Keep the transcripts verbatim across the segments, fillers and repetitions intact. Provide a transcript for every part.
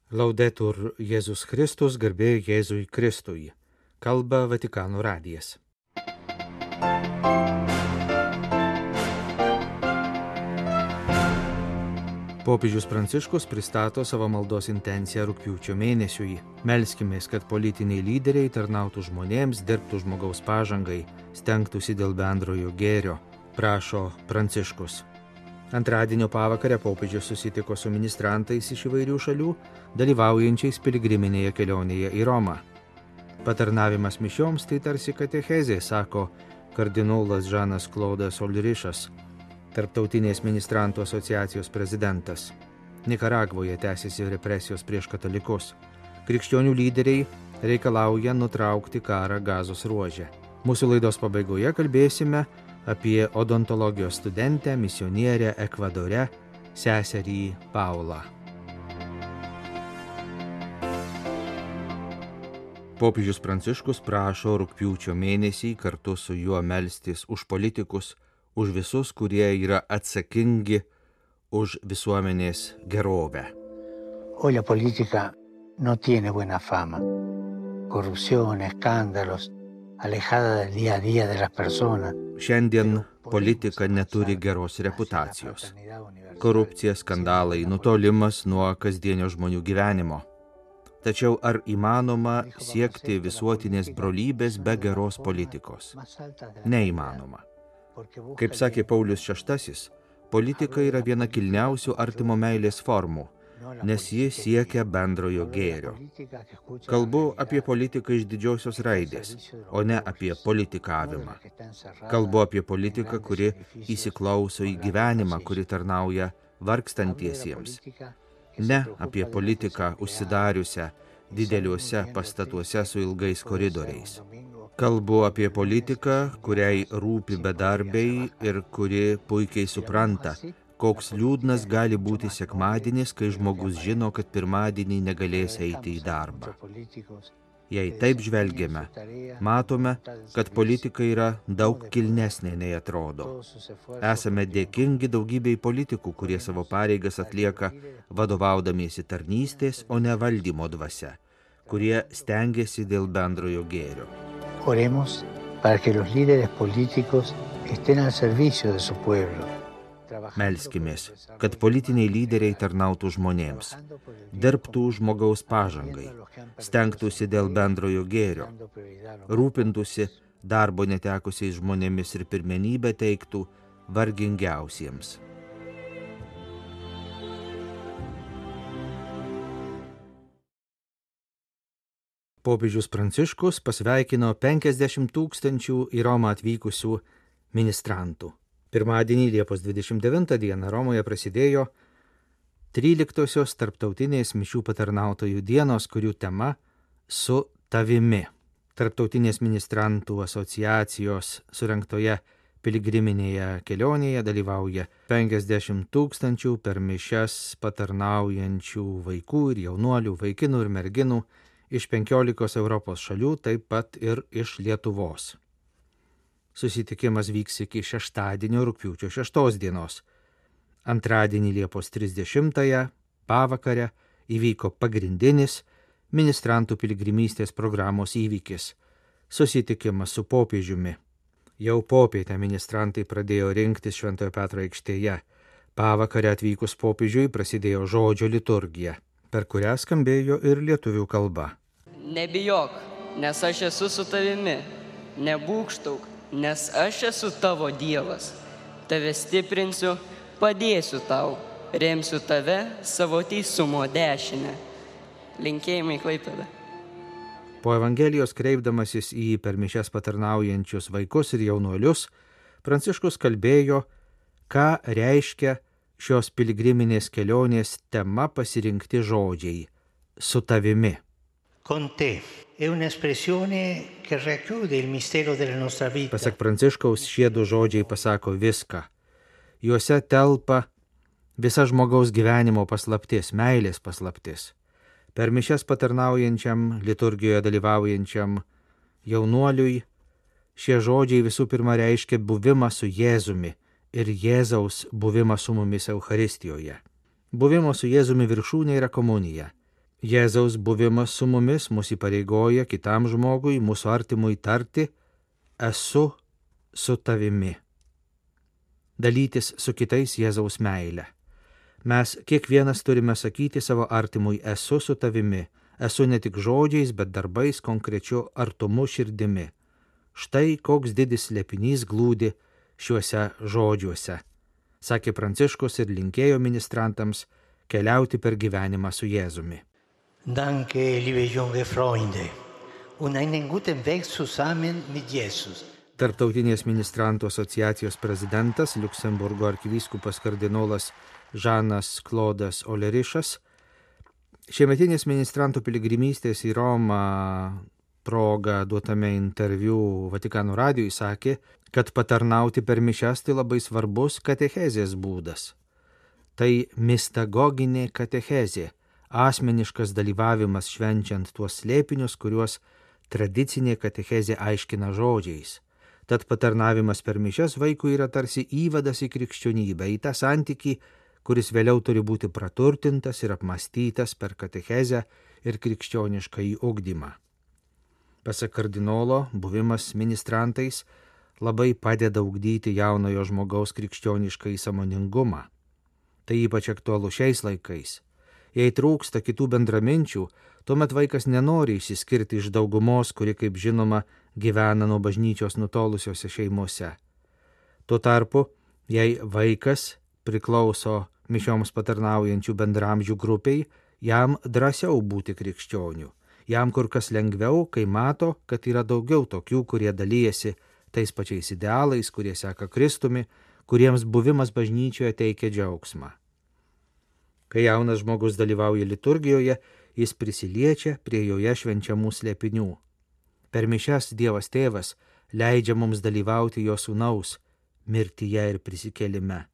Laudetur Jėzus Kristus, garbė Jėzui Kristui. Kalba Vatikano radijas. Popiežius Pranciškus pristato savo maldos intenciją rugpjūčio mėnesiui. Melskimės, kad politiniai lyderiai tarnautų žmonėms, dirbtų žmogaus pažangai, stengtųsi dėl bendrojo gėrio, prašo Pranciškus. Antradienio pavakarę popiežius susitiko su ministrantais iš įvairių šalių, dalyvaujančiais piligriminėje kelionėje į Romą. Patarnavimas mišioms tai tarsi katechezė, sako kardinolas Žanas Klodas Olrišas, Tarptautinės ministrantų asociacijos prezidentas. Nikaragvoje tęsiasi represijos prieš katalikus. Krikščionių lyderiai reikalauja nutraukti karą Gazos ruože. Mūsų laidos pabaigoje kalbėsime apie odontologijos studentę, misionierę Ekvadore, seserį Paulą. Popiežius Pranciškus prašo rugpjūčio mėnesį kartu su juo melstis už politikus, už visus, kurie yra atsakingi už visuomenės gerovę. Hoy la política no tiene buena fama. Corrupción, escándalos, alejada del día a día de las personas. Šiandien politika neturi geros reputacijos. Korupcija, skandalai, nutolimas nuo kasdienio žmonių gyvenimo. Tačiau ar įmanoma siekti visuotinės brolybės be geros politikos? Neįmanoma. Kaip sakė Paulius šeštasis, politika yra viena kilniausių artimo meilės formų, nes ji siekia bendrojo gėrio. Kalbu apie politiką iš didžiosios raidės, o ne apie politikavimą. Kalbu apie politiką, kuri įsiklauso į gyvenimą, kuri tarnauja vargstantiesiems. Ne apie politiką užsidariusią dideliuose pastatuose su ilgais koridoriais. Kalbu apie politiką, kuriai rūpi bedarbiai ir kuri puikiai supranta, koks liūdnas gali būti sekmadienis, kai žmogus žino, kad pirmadienį negalės eiti į darbą. Jei taip žvelgiame, matome, kad politika yra daug kilnesnė nei atrodo. Esame dėkingi daugybei politikų, kurie savo pareigas atlieka vadovaudamiesi tarnystės, o ne valdymo dvasia, kurie stengiasi dėl bendrojo gėrio. Oremos para que los líderes políticos estén al servicio de su pueblo. Melskimės, kad politiniai lyderiai tarnautų žmonėms, dirbtų žmogaus pažangai, stengtųsi dėl bendrojo gėrio, rūpintųsi darbo netekusiais žmonėmis ir pirmenybę teiktų vargingiausiems. Popiežius Pranciškus pasveikino penkiasdešimt tūkstančių į Romą atvykusių ministrantų. Pirmadienį Liepos dvidešimt devintą dieną Romoje prasidėjo tryliktosios tarptautinės mišių patarnautojų dienos, kurių tema Su tavimi. Tarptautinės ministrantų asociacijos surengtoje piligriminėje kelionėje dalyvauja penkiasdešimt tūkstančių per mišias patarnaujančių vaikų ir jaunuolių, vaikinų ir merginų iš penkiolikos Europos šalių, taip pat ir iš Lietuvos. Susitikimas vyks iki šeštadienio rugpjūčio šeštos dienos. Antradienį Liepos trisdešimtąją pavakarę įvyko pagrindinis ministrantų piligrimystės programos įvykis – susitikimas su popiežiumi. Jau popietę ministrantai pradėjo rinktis Šventojo Petro aikštėje. Pavakarę atvykus popiežiui prasidėjo žodžio liturgija, per kurią skambėjo ir lietuvių kalba. Nebijok, nes aš esu su tavimi. Nebūgštauk, nes aš esu tavo Dievas. Tave stiprinsiu, padėsiu tau, remsiu tave savo teisumo dešinę. Linkėjimai Klaipėda. Po Evangelijos kreipdamasis į per mišias patarnaujančius vaikus ir jaunuolius, Pranciškus kalbėjo, ką reiškia šios piligriminės kelionės tema pasirinkti žodžiai – su tavimi. Con te è un'espressione che racchiude il mistero della nostra vita. Pasak Pranciškaus, šie du žodžiai pasako viską. Juose telpa visa žmogaus gyvenimo paslaptis, meilės paslaptis. Per mišias patarnaujančiam, liturgijoje dalyvaujančiam jaunuoliui šie žodžiai visų pirma reiškia buvimą su Jėzumi ir Jėzaus buvimą su mumis Eucharistijoje. Buvimo su Jėzumi viršūnė yra komunija. Jėzaus buvimas su mumis mus įpareigoja kitam žmogui, mūsų artimui tarti, esu su tavimi. Dalytis su kitais Jėzaus meile. Mes kiekvienas turime sakyti savo artimui, esu su tavimi, esu ne tik žodžiais, bet darbais, konkrečiu artumu širdimi. Štai koks didis slėpinys glūdi šiuose žodžiuose, sakė Pranciškus ir linkėjo ministrantams keliauti per gyvenimą su Jėzumi. Danke, liebe junge Freunde, und einen guten Weg zusammen mit Jesus. Tarptautinės ministrantų asociacijos prezidentas, Liuksemburgo arkivyskupas kardinolas Žanas Klodas Olerišas, šiemetinės ministrantų piligrimystės į Romą proga duotame interviu Vatikano radijui sakė, kad patarnauti per mišias tai labai svarbus katechezės būdas. Tai mistagoginė katechezė, asmeniškas dalyvavimas švenčiant tuos slėpinius, kuriuos tradicinė katechezė aiškina žodžiais. Tad patarnavimas per mišias vaikui yra tarsi įvadas į krikščionybę, į tą santykį, kuris vėliau turi būti praturtintas ir apmastytas per katechezę ir krikščioniškąjį ugdymą. Pasak kardinolo, buvimas ministrantais labai padeda ugdyti jaunojo žmogaus krikščioniškąjį sąmoningumą. Tai ypač aktualu šiais laikais. Jei trūksta kitų bendraminčių, tuomet vaikas nenori išsiskirti iš daugumos, kuri, kaip žinoma, gyvena nuo bažnyčios nutolusiose šeimose. Tuo tarpu, jei vaikas priklauso mišioms patarnaujančių bendramžių grupiai, jam drąsiau būti krikščionių. Jam kur kas lengviau, kai mato, kad yra daugiau tokių, kurie dalyjasi tais pačiais idealais, kurie seka Kristumi, kuriems buvimas bažnyčioje teikia džiaugsmą. Kai jaunas žmogus dalyvauja liturgijoje, jis prisiliečia prie joje švenčiamų slėpinių. Per mišias Dievas Tėvas leidžia mums dalyvauti jo sūnaus mirtyje ir prisikėlime.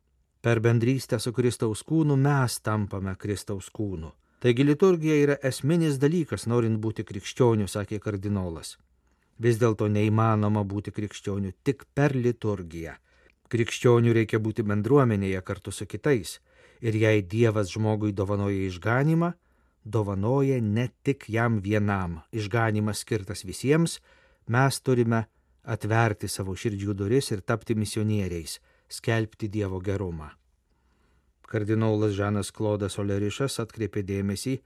Per bendrystę su Kristaus kūnu mes tampame Kristaus kūnu. Taigi liturgija yra esminis dalykas, norint būti krikščioniu, sakė kardinolas. Vis dėlto neįmanoma būti krikščioniu tik per liturgiją. Krikščionių reikia būti bendruomenėje kartu su kitais. Ir jei Dievas žmogui dovanoja išganymą, dovanoja ne tik jam vienam. Išganymas skirtas visiems, mes turime atverti savo širdžių duris ir tapti misionieriais, skelbti Dievo gerumą. Kardinolas Žanas Klodas Olerišas atkreipė dėmesį,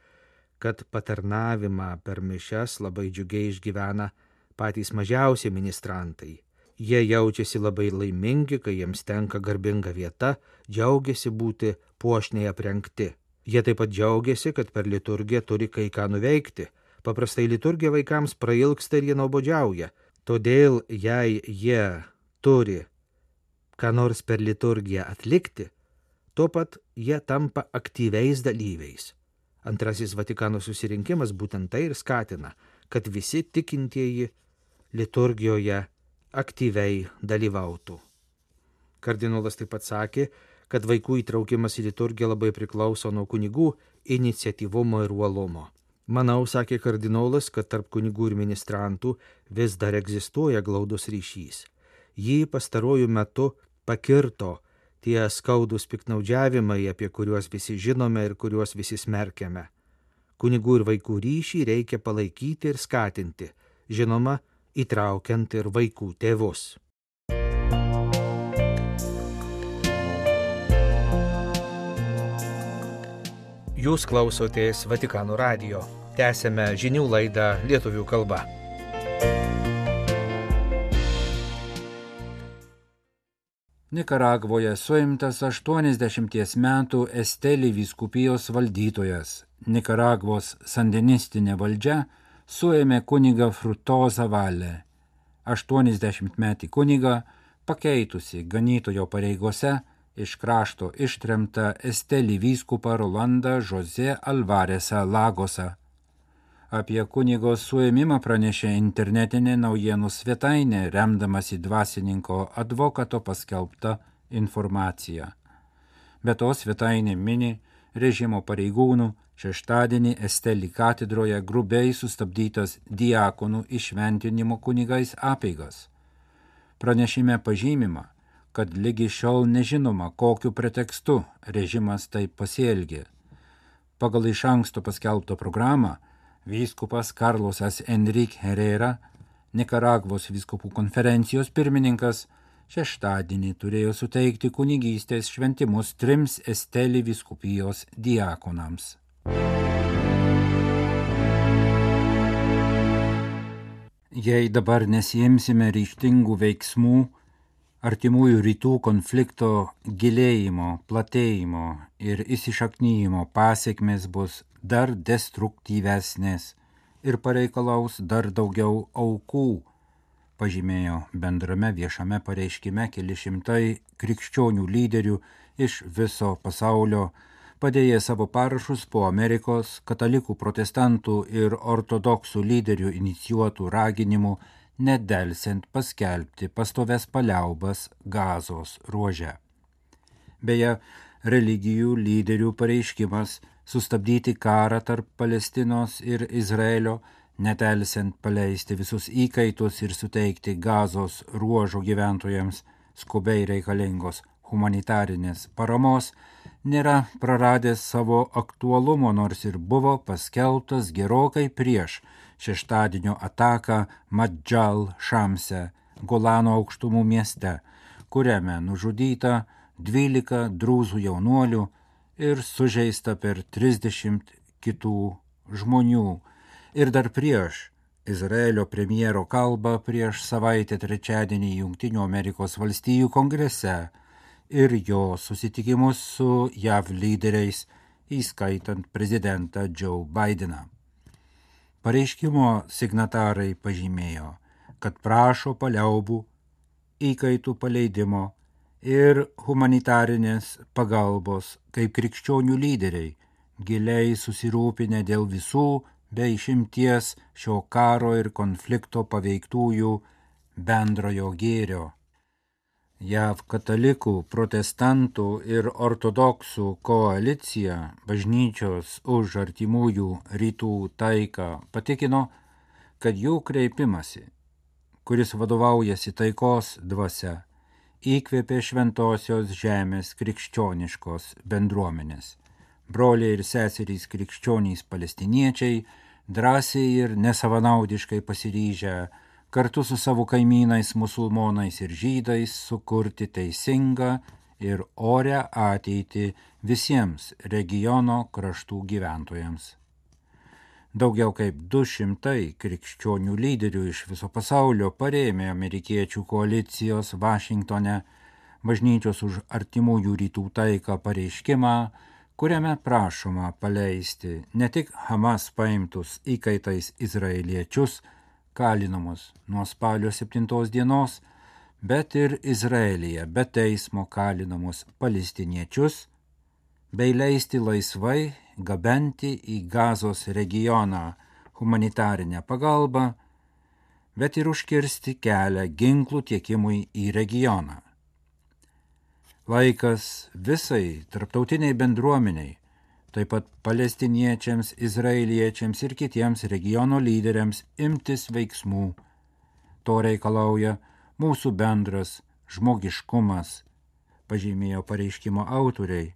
kad patarnavimą per mišias labai džiugiai išgyvena patys mažiausi ministrantai. Jie jaučiasi labai laimingi, kai jiems tenka garbinga vieta, džiaugiasi būti puošniai aprengti. Jie taip pat džiaugiasi, kad per liturgiją turi kai ką nuveikti. Paprastai liturgija vaikams prailgsta ir jie nuobodžiauja. Todėl, jei jie turi ką nors per liturgiją atlikti, tuo pat jie tampa aktyviais dalyviais. Antrasis Vatikano susirinkimas būtent tai ir skatina, kad visi tikintieji liturgijoje aktyviai dalyvautų. Kardinolas taip pat sakė, kad vaikų įtraukimas į liturgiją labai priklauso nuo kunigų iniciatyvumo ir uolumo. Manau, sakė kardinolas, kad tarp kunigų ir ministrantų vis dar egzistuoja glaudus ryšys. Jį pastaruoju metu pakirto tie skaudūs piktnaudžiavimai, apie kuriuos visi žinome ir kuriuos visi smerkiame. Kunigų ir vaikų ryšį reikia palaikyti ir skatinti, žinoma, įtraukiant ir vaikų tėvus. Jūs klausotės Vatikano radijo. Tęsėme žinių laidą lietuvių kalba. Nikaragvoje suimtas aštuoniasdešimties metų Esteli vyskupijos valdytojas. Nikaragvos sandinistinė valdžia suėmė kunigą Frutozą Valę. aštuoniasdešimtmetį kunigą, pakeitusi ganytojo pareigose, iš krašto ištremta Esteli vyskupą Rolandą José Alvaresą Lagosą. Apie kunigo suėmimą pranešė internetinė naujienų svetainė, remdamasi dvasininko advokato paskelbta informacija. Be to svetainė mini režimo pareigūnų šeštadienį Esteli katedroje grubiai sustabdytas diakonų įšventinimo kunigais apeigas. Pranešime pažymima, kad lygi šiol nežinoma, kokiu pretekstu režimas taip pasielgė. Pagal iš anksto paskelbtą programą, vyskupas Carlosas Enrique Herrera, Nikaragvos vyskupų konferencijos pirmininkas, šeštadienį turėjo suteikti kunigystės šventimus trims Esteli vyskupijos diakonams. Jei dabar nesiimsime ryžtingų veiksmų, artimųjų rytų konflikto gilėjimo, platėjimo ir įsišaknyjimo pasiekmės bus dar destruktyvesnės ir pareikalaus dar daugiau aukų, pažymėjo bendrame viešame pareiškime keli šimtai krikščionių lyderių iš viso pasaulio, padėję savo parašus po Amerikos katalikų, protestantų ir ortodoksų lyderių inicijuotų raginimų nedelsiant paskelbti pastoves paliaubas Gazos ruože. Beje, religijų lyderių pareiškimas sustabdyti karą tarp Palestinos ir Izraelio, nedelsiant paleisti visus įkaitus ir suteikti Gazos ruožo gyventojams skubiai reikalingos humanitarinės paramos, nėra praradęs savo aktualumo, nors ir buvo paskelbtas gerokai prieš šeštadienio ataką Madžal Šamse, Golano aukštumų mieste, kuriame nužudyta dvylika drūzų jaunuolių ir sužeista per trisdešimt kitų žmonių. Ir dar prieš Izraelio premjero kalbą prieš savaitę trečiadienį Jungtinių Amerikos valstijų kongrese ir jo susitikimus su J A V lyderiais, įskaitant prezidentą Joe Bideną. Pareiškimo signatarai pažymėjo, kad prašo paliaubų, įkaitų paleidimo ir humanitarinės pagalbos kaip krikščionių lyderiai, giliai susirūpinę dėl visų be išimties šio karo ir konflikto paveiktųjų bendrojo gėrio. J A V katalikų, protestantų ir ortodoksų koalicija bažnyčios už artimųjų rytų taiką patikino, kad jų kreipimasi, kuris vadovaujasi taikos dvasia, įkvėpė šventosios žemės krikščioniškos bendruomenės. Broliai ir seserys krikščionys palestiniečiai drąsiai ir nesavanaudiškai pasiryžę kartu su savo kaimynais musulmonais ir žydais sukurti teisingą ir orią ateitį visiems regiono kraštų gyventojams. Daugiau kaip du šimtai krikščionių lyderių iš viso pasaulio parėmė amerikiečių koalicijos Vašingtone bažnyčios už artimųjų rytų taiką pareiškimą, kuriame prašoma paleisti ne tik Hamas paimtus įkaitais izraeliečius, kalinamus nuo spalio septintos dienos, bet ir Izraelyje be teismo kalinamus palestiniečius, bei leisti laisvai gabenti į Gazos regioną humanitarinę pagalbą, bet ir užkirsti kelią ginklų tiekimui į regioną. Laikas visai tarptautiniai bendruomeniai, taip pat palestiniečiams, izraeliečiams ir kitiems regiono lyderiams imtis veiksmų. To reikalauja mūsų bendras žmogiškumas, pažymėjo pareiškimo autoriai.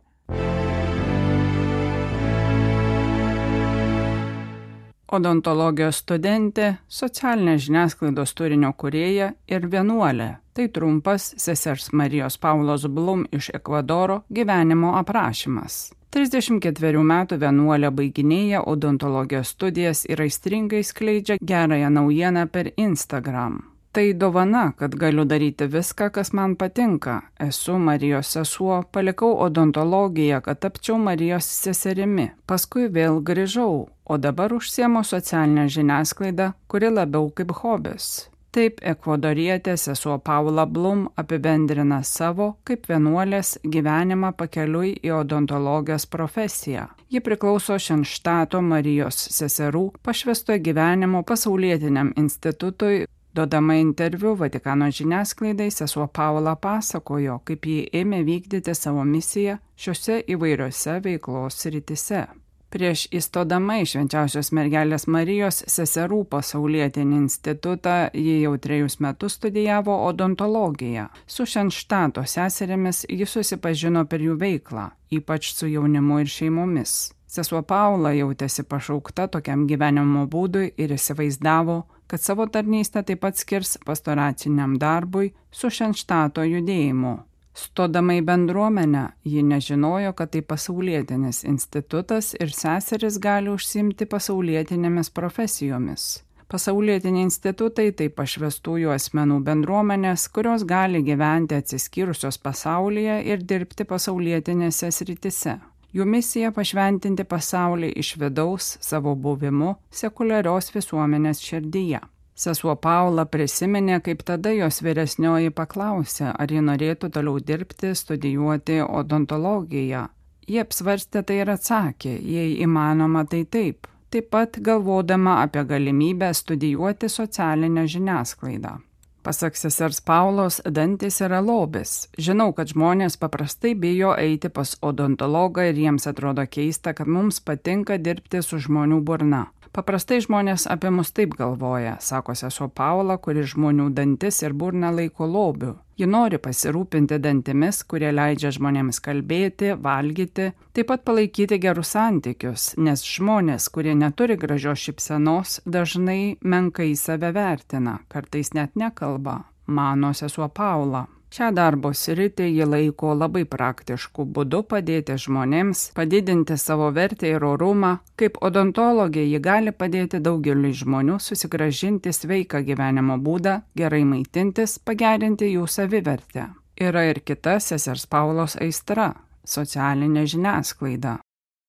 Odontologijos studentė, socialinės žiniasklaidos turinio kūrėja ir vienuolė. Tai trumpas sesers Marijos Paulos Blum iš Ekvadoro gyvenimo aprašymas. trisdešimt ketverių metų vienuolė baiginėja odontologijos studijas ir aistringai skleidžia gerąją naujieną per Instagram. Tai dovana, kad galiu daryti viską, kas man patinka. Esu Marijos sesuo, palikau odontologiją, kad tapčiau Marijos seserimi. Paskui vėl grįžau, o dabar užsiemu socialinę žiniasklaidą, kuri labiau kaip hobis. Taip ekvadorietė sesuo Paula Blum apibendrina savo kaip vienuolės gyvenimą pakeliui į odontologijos profesiją. Ji priklauso Šenštato Marijos seserų pašvęsto gyvenimo pasaulietiniam institutui. Duodama interviu Vatikano žiniasklaidai, sesuo Paula pasakojo, kaip ji ėmė vykdyti savo misiją šiuose įvairiose veiklos srityse. Prieš įstodama į Švenčiausios mergelės Marijos seserų pasaulietinį institutą, ji jau trejus metus studijavo odontologiją. Su Šenštato seserimis ji susipažino per jų veiklą, ypač su jaunimu ir šeimomis. Sesuo Paula jautėsi pašaukta tokiam gyvenimo būdui ir įsivaizdavo, kad savo tarnystę taip pat skirs pastoraciniam darbui su Šenštato judėjimu. Stodama į bendruomenę, ji nežinojo, kad tai pasaulietinis institutas ir seseris gali užsiimti pasaulietinėmis profesijomis. Pasaulietiniai institutai tai pašvestųjų asmenų bendruomenės, kurios gali gyventi atsiskyrusios pasaulyje ir dirbti pasaulietinėse srityse. Jų misija pašventinti pasaulį iš vidaus savo buvimu sekuliarios visuomenės širdyje. Sesuo Paula prisiminė, kaip tada jos vyresnioji paklausė, ar ji norėtų toliau dirbti, studijuoti odontologiją. Ji apsvarstė tai ir atsakė, jei įmanoma, tai taip. Taip pat galvodama apie galimybę studijuoti socialinę žiniasklaidą. Pasak sesers Paulos, dantis yra lobis. Žinau, kad žmonės paprastai bijo eiti pas odontologą ir jiems atrodo keista, kad mums patinka dirbti su žmonių burna. Paprastai žmonės apie mus taip galvoja, sako sesuo Paula, kuri žmonių dantis ir burną laiko lobiu. Ji nori pasirūpinti dantimis, kurie leidžia žmonėms kalbėti, valgyti, taip pat palaikyti gerus santykius, nes žmonės, kurie neturi gražios šypsenos, dažnai menkai save vertina, kartais net nekalba, mano sesuo Paula. Šią darbo sritį ji laiko labai praktiškų būdų padėti žmonėms, padidinti savo vertę ir orumą. Kaip odontologė ji gali padėti daugeliui žmonių susigrąžinti sveiką gyvenimo būdą, gerai maitintis, pagerinti jų savivertę. Yra ir kita sesers Paulos aistra – socialinė žiniasklaida.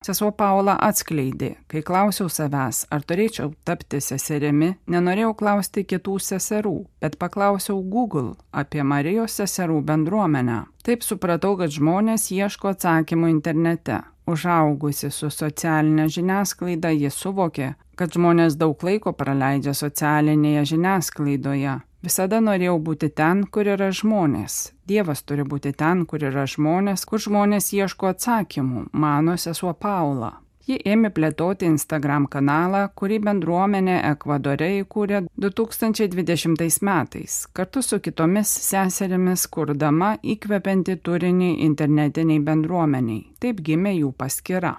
Sesuo Paula atskleidė, kai klausiau savęs, ar turėčiau tapti seserimi, nenorėjau klausti kitų seserų, bet paklausiau Google apie Marijos seserų bendruomenę. Taip supratau, kad žmonės ieško atsakymų internete. Užaugusi su socialinė žiniasklaida, ji suvokė, kad žmonės daug laiko praleidžia socialinėje žiniasklaidoje. Visada norėjau būti ten, kur yra žmonės. Dievas turi būti ten, kur yra žmonės, kur žmonės ieško atsakymų, mano sesuo Paula. Ji ėmė plėtoti Instagram kanalą, kurį bendruomenė Ekvadore įkūrė du tūkstančiai dvidešimtais metais, kartu su kitomis seserimis kurdama įkvepiantį turinį internetiniai bendruomeniai. Taip gimė jų paskyra.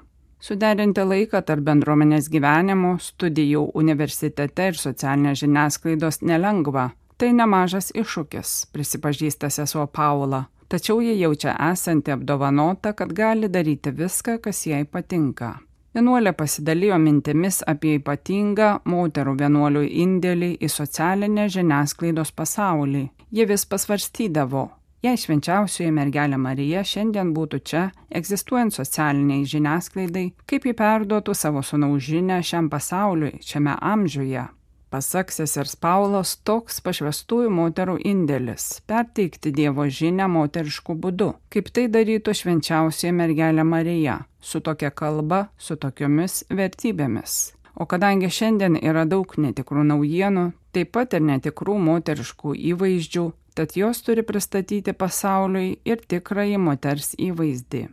Suderinti laiką tarp bendruomenės gyvenimo, studijų universitete ir socialinės žiniasklaidos nelengva. Tai nemažas iššūkis, prisipažįsta sesuo Paula, tačiau ji jaučia esanti apdovanota, kad gali daryti viską, kas jai patinka. Vienuolė pasidalijo mintimis apie ypatingą moterų vienuolių indėlį į socialinę žiniasklaidos pasaulį. Ji vis pasvarstydavo, jei švenčiausioji mergelė Marija šiandien būtų čia, egzistuojant socialiniai žiniasklaidai, kaip ji perduotų savo sūnaus žinią šiam pasauliui, šiame amžiuje. Pasak sesers Paulos, toks pašvestųjų moterų indėlis – perteikti Dievo žinią moterišku būdu, kaip tai darytų švenčiausioji mergelė Marija, su tokia kalba, su tokiomis vertybėmis. O kadangi šiandien yra daug netikrų naujienų, taip pat ir netikrų moteriškų įvaizdžių, tad jos turi pristatyti pasauliui ir tikrąjį moters įvaizdį.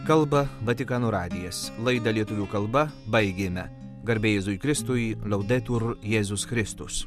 Kalba Vatikano radijas. Laidą lietuvių kalba baigėme. Garbė Jėzui Kristui, Laudetur Jėzus Kristus.